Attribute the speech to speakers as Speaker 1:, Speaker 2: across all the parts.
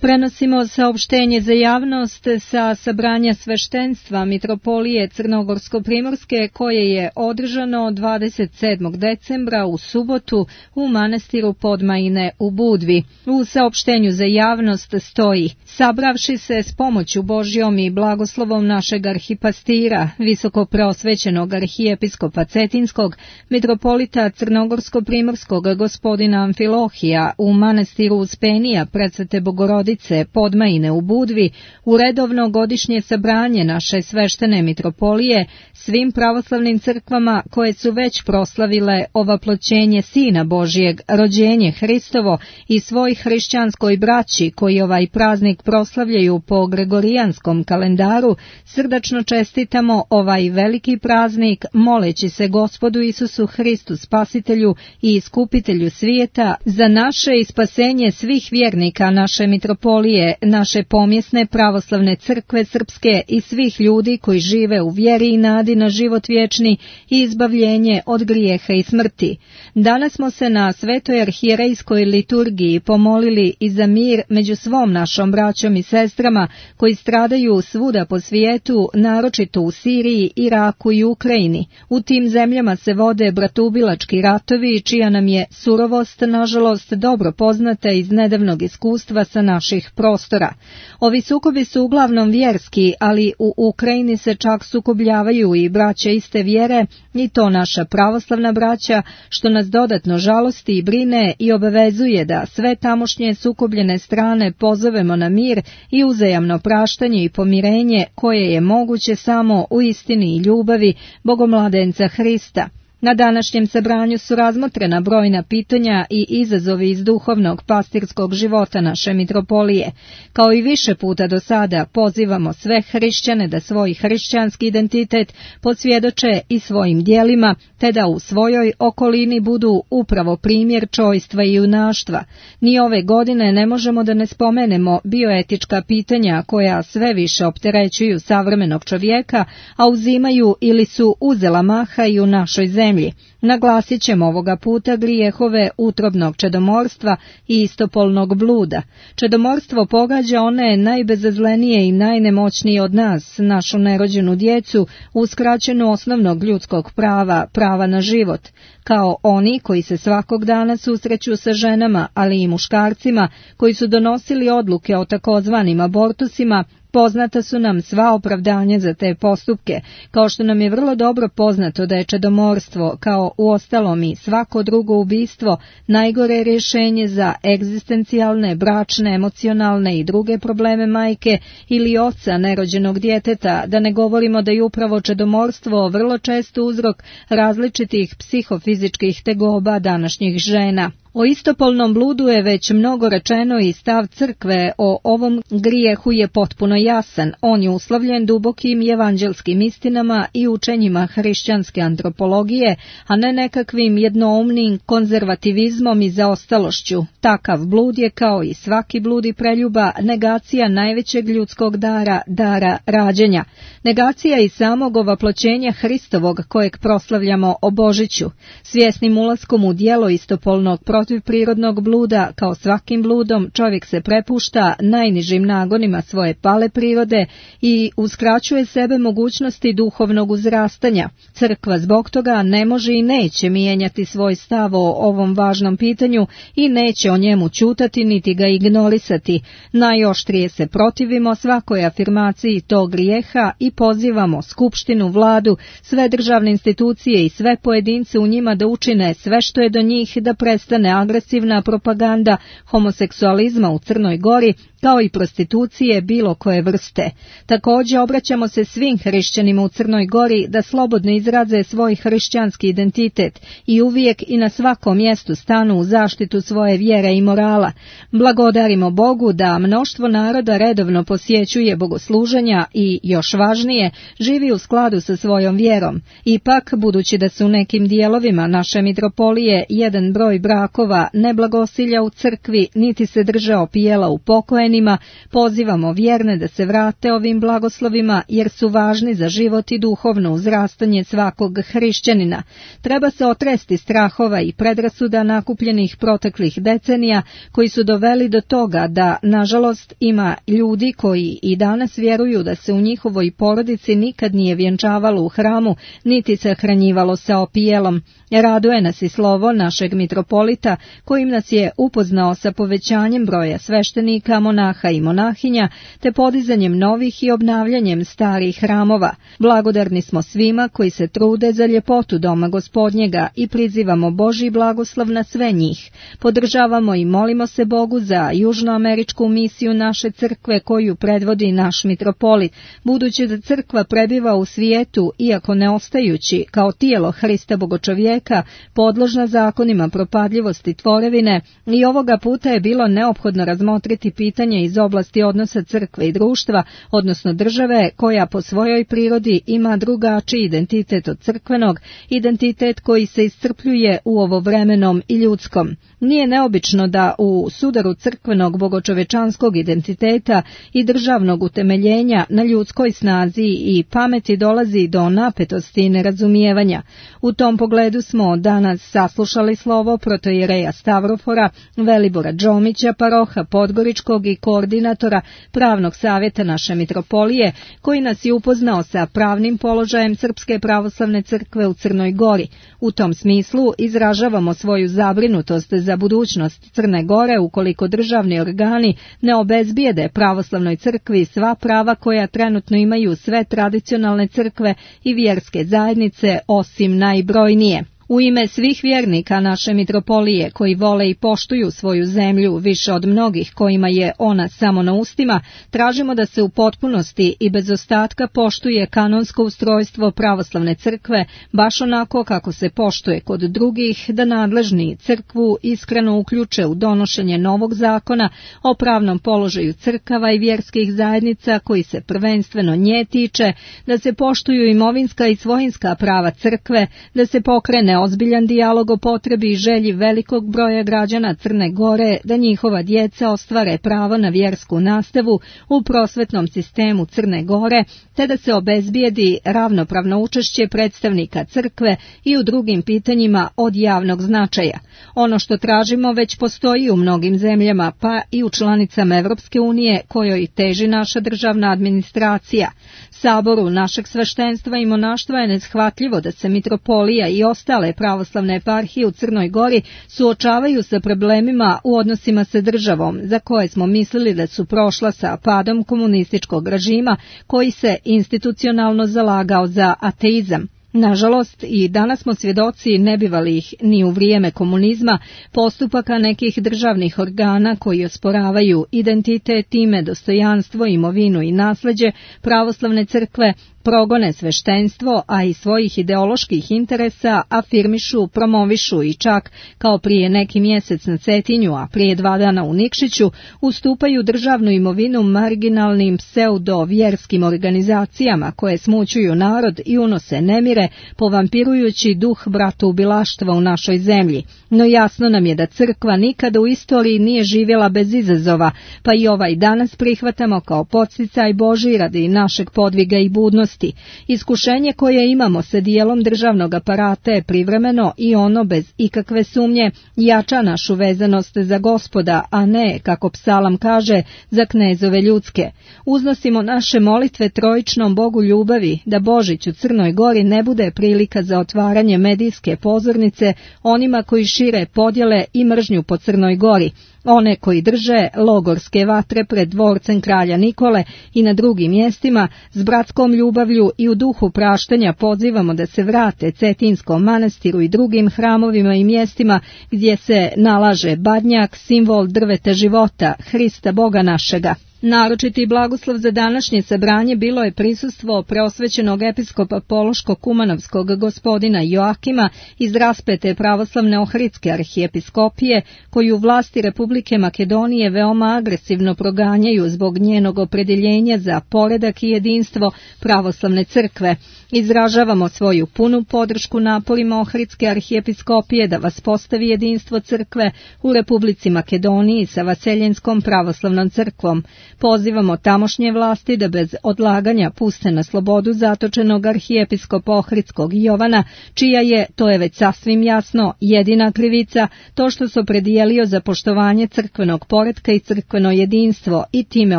Speaker 1: Prenosimo saopštenje za javnost sa sabranja sveštenstva Mitropolije Crnogorsko-Primorske koje je održano 27. decembra u subotu u manastiru Podmajine u Budvi. U saopštenju za javnost stoji: sabravši se s pomoću Božjom i blagoslovom našeg arhipastira, visokopreosvećenog arhijepiskopa Cetinskog, mitropolita Crnogorsko-Primorskog gospodina Amfilohija u manastiru Uspenija Predsvete Bogorodice Podmajine u Budvi, u redovno godišnje sabranje naše sveštene mitropolije, svim pravoslavnim crkvama koje su već proslavile ovaploćenje Sina Božijeg, rođenje Hristovo i svoj hrišćanskoj braći koji ovaj praznik proslavljaju po gregorijanskom kalendaru, srdačno čestitamo ovaj veliki praznik, moleći se Gospodu Isusu Hristu, Spasitelju i Iskupitelju svijeta, za naše i spasenje svih vjernika naše mitropolije, naše pomjesne pravoslavne crkve srpske i svih ljudi koji žive u vjeri i nadi na život vječni i izbavljenje od grijeha i smrti. Danas smo se na svetoj arhijerejskoj liturgiji pomolili i za mir među svom našom braćom i sestrama koji stradaju svuda po svijetu, naročito u Siriji, Iraku i Ukrajini. U tim zemljama se vode bratubilački ratovi, čija nam je surovost, nažalost, dobro poznata iz nedavnog iskustva sa naših prostora. Ovi sukobi su uglavnom vjerski, ali u Ukrajini se čak sukobljavaju i braća iste vjere, i to naša pravoslavna braća, što nas dodatno žalosti i brine i obavezuje da sve tamošnje sukobljene strane pozovemo na mir i uzajamno praštanje i pomirenje koje je moguće samo u istini i ljubavi Bogomladenca Hrista. Na današnjem sabranju su razmotrena brojna pitanja i izazovi iz duhovnog pastirskog života naše mitropolije. Kao i više puta do sada pozivamo sve hrišćane da svoj hrišćanski identitet posvjedoče i svojim djelima, te da u svojoj okolini budu upravo primjer čojstva i junaštva. Ni ove godine ne možemo da ne spomenemo bioetička pitanja koja sve više opterećuju savremenog čovjeka, a uzimaju ili su uzela maha i u našoj zemlji. Naglasit ćemo ovoga puta grijehove utrobnog čedomorstva i istopolnog bluda. Čedomorstvo pogađa one najbezazlenije i najnemoćnije od nas, našu nerođenu djecu, uskraćenu osnovnog ljudskog prava, prava na život, kao oni koji se svakog dana susreću sa ženama, ali i muškarcima, koji su donosili odluke o takozvanim abortusima. Poznata su nam sva opravdanja za te postupke, kao što nam je vrlo dobro poznato da je čedomorstvo, kao uostalom i svako drugo ubistvo, najgore rješenje za egzistencijalne, bračne, emocionalne i druge probleme majke ili oca nerođenog djeteta, da ne govorimo da je upravo čedomorstvo vrlo često uzrok različitih psihofizičkih tegoba današnjih žena. O istopolnom bludu je već mnogo rečeno i stav crkve o ovom grijehu je potpuno jasan. On je uslovljen dubokim evanđelskim istinama i učenjima hrišćanske antropologije, a ne nekakvim jednoumnim konzervativizmom i zaostalošću. Takav blud je, kao i svaki blud i preljuba, negacija najvećeg ljudskog dara, dara rađenja. Negacija i samog ovaploćenja Hristovog kojeg proslavljamo o Božiću. Svjesnim ulaskom u djelo istopolnog protiv prirodnog bluda, kao svakim bludom, čovjek se prepušta najnižim nagonima svoje pale prirode i uskraćuje sebe mogućnosti duhovnog uzrastanja. Crkva zbog toga ne može i neće mijenjati svoj stav o ovom važnom pitanju i neće o njemu ćutati niti ga ignorisati. Najoštrije se protivimo svakoj afirmaciji tog grijeha i pozivamo skupštinu, vladu, sve državne institucije i sve pojedince u njima da učine sve što je do njih da prestane agresivna propaganda homoseksualizma u Crnoj Gori, kao i prostitucije bilo koje vrste. Također obraćamo se svim hrišćanima u Crnoj Gori da slobodno izraze svoj hrišćanski identitet i uvijek i na svakom mjestu stanu u zaštitu svoje vjere i morala. Blagodarimo Bogu da mnoštvo naroda redovno posjećuje bogosluženja i, još važnije, živi u skladu sa svojom vjerom. Ipak, budući da su u nekim dijelovima naše mitropolije jedan broj brakova brakova, ne blagosilja u crkvi, niti se drže opijela u pokojenima, pozivamo vjerne da se vrate ovim blagoslovima jer su važni za život i duhovno uzrastanje svakog hrišćanina. Treba se otresti strahova i predrasuda nakupljenih proteklih decenija koji su doveli do toga da, nažalost, ima ljudi koji i danas vjeruju da se u njihovoj porodici nikad nije vjenčavalo u hramu, niti se hranjivalo sa opijelom. Raduje nas i slovo našeg mitropolita, kojim nas je upoznao sa povećanjem broja sveštenika, monaha i monahinja, te podizanjem novih i obnavljanjem starih hramova. Blagodarni smo svima koji se trude za ljepotu doma Gospodnjega i prizivamo Božji blagoslov na sve njih. Podržavamo i molimo se Bogu za južnoameričku misiju naše crkve koju predvodi naš mitropolit, budući da crkva prebiva u svijetu, iako ne ostajući kao tijelo Hrista Bogočovjeka, podložna zakonima propadljivosti tvorevine, i ovoga puta je bilo neophodno razmotriti pitanje iz oblasti odnosa crkve i društva, odnosno države, koja po svojoj prirodi ima drugačiji identitet od crkvenog, identitet koji se iscrpljuje u ovovremenom i ljudskom. Nije neobično da u sudaru crkvenog bogočovečanskog identiteta i državnog utemeljenja na ljudskoj snazi i pameti dolazi do napetosti i nerazumijevanja. U tom pogledu smo danas saslušali slovo protoijereja Stavrofora, Velibora Džomića, paroha Podgoričkog i koordinatora pravnog savjeta naše mitropolije, koji nas je upoznao sa pravnim položajem Srpske pravoslavne crkve u Crnoj Gori. U tom smislu izražavamo svoju zabrinutost za budućnost Crne Gore ukoliko državni organi ne obezbijede pravoslavnoj crkvi sva prava koja trenutno imaju sve tradicionalne crkve i vjerske zajednice osim najbrojnije. U ime svih vjernika naše mitropolije koji vole i poštuju svoju zemlju više od mnogih kojima je ona samo na ustima, tražimo da se u potpunosti i bez ostatka poštuje kanonsko ustrojstvo pravoslavne crkve, baš onako kako se poštuje kod drugih, da nadležni crkvu iskreno uključe u donošenje novog zakona o pravnom položaju crkava i vjerskih zajednica koji se prvenstveno nje tiče, da se poštuju imovinska i svojinska prava crkve, da se pokrene ozbiljan dijalog o potrebi i želji velikog broja građana Crne Gore da njihova djeca ostvare pravo na vjersku nastavu u prosvetnom sistemu Crne Gore, te da se obezbijedi ravnopravno učešće predstavnika crkve i u drugim pitanjima od javnog značaja. Ono što tražimo već postoji u mnogim zemljama, pa i u članicama Evropske unije kojoj teži naša državna administracija. Saboru našeg sveštenstva i monaštva je neshvatljivo da se mitropolija i ostale pravoslavne eparhije u Crnoj Gori suočavaju sa problemima u odnosima sa državom, za koje smo mislili da su prošla sa padom komunističkog režima koji se institucionalno zalagao za ateizam. Nažalost, i danas smo svjedoci nebivalih ni u vrijeme komunizma postupaka nekih državnih organa koji osporavaju identitet, ime, dostojanstvo, imovinu i nasljeđe pravoslavne crkve, progone sveštenstvo, a i svojih ideoloških interesa afirmišu, promovišu i čak, kao prije neki mjesec na Cetinju, a prije 2 dana u Nikšiću, ustupaju državnu imovinu marginalnim pseudo-vjerskim organizacijama koje smućuju narod i unose nemire, povampirujući duh bratoubilaštva u našoj zemlji. No jasno nam je da crkva nikada u istoriji nije živjela bez izazova, pa i ovaj danas prihvatamo kao podsticaj Božji radi našeg podviga i budnosti. Iskušenje koje imamo sa dijelom državnog aparata je privremeno i ono bez ikakve sumnje jača našu vezanost za Gospoda, a ne, kako psalam kaže, za knezove ljudske. Uznosimo naše molitve trojičnom Bogu ljubavi da Božić u Crnoj Gori ne bude prilika za otvaranje medijske pozornice onima koji šire podjele i mržnju po Crnoj Gori, one koji drže logorske vatre pred dvorcem kralja Nikole i na drugim mjestima, s bratskom ljubavlju i u duhu praštanja pozivamo da se vrate Cetinskom manastiru i drugim hramovima i mjestima gdje se nalaže badnjak, simbol drveta života, Hrista Boga našega. Naročiti blagoslov za današnje sabranje bilo je prisustvo preosvećenog episkopa Pološko-Kumanovskog gospodina Joakima iz raspete pravoslavne Ohridske arhijepiskopije, koju vlasti Republike Makedonije veoma agresivno proganjaju zbog njenog opredjeljenja za poredak i jedinstvo pravoslavne crkve. Izražavamo svoju punu podršku naporima Ohridske arhijepiskopije da vaspostavi jedinstvo crkve u Republici Makedoniji sa Vaseljenskom pravoslavnom crkvom. Pozivamo tamošnje vlasti da bez odlaganja puste na slobodu zatočenog arhijepiskopa Ohridskog Jovana, čija je, to je već sasvim jasno, jedina krivica to što se opredijelio za poštovanje crkvenog poretka i crkveno jedinstvo i time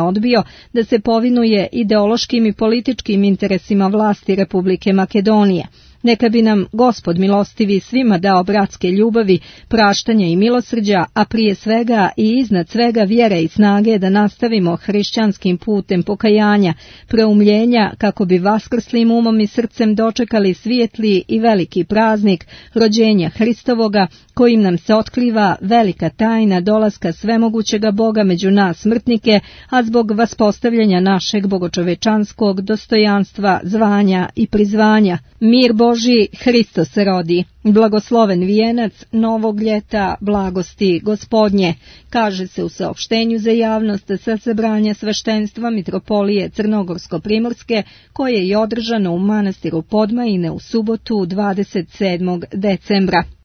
Speaker 1: odbio da se povinuje ideološkim i političkim interesima vlasti Republike Makedonije. Neka bi nam Gospod milostivi svima dao bratske ljubavi, praštanja i milosrđa, a prije svega i iznad svega vjere i snage da nastavimo hrišćanskim putem pokajanja, preumljenja, kako bi vaskrslim umom i srcem dočekali svijetli i veliki praznik rođenja Hristovoga, kojim nam se otkriva velika tajna dolaska svemogućega Boga među nas smrtnike, a zbog vaspostavljanja našeg bogočovečanskog dostojanstva, zvanja i prizvanja. Mir Boži, Hristos se rodi. Blagosloven vijenac novog ljeta blagosti Gospodnje, kaže se u saopštenju za javnost sa sabranja sveštenstva Mitropolije Crnogorsko-Primorske, koje je održano u manastiru Podmajine u subotu 27. decembra.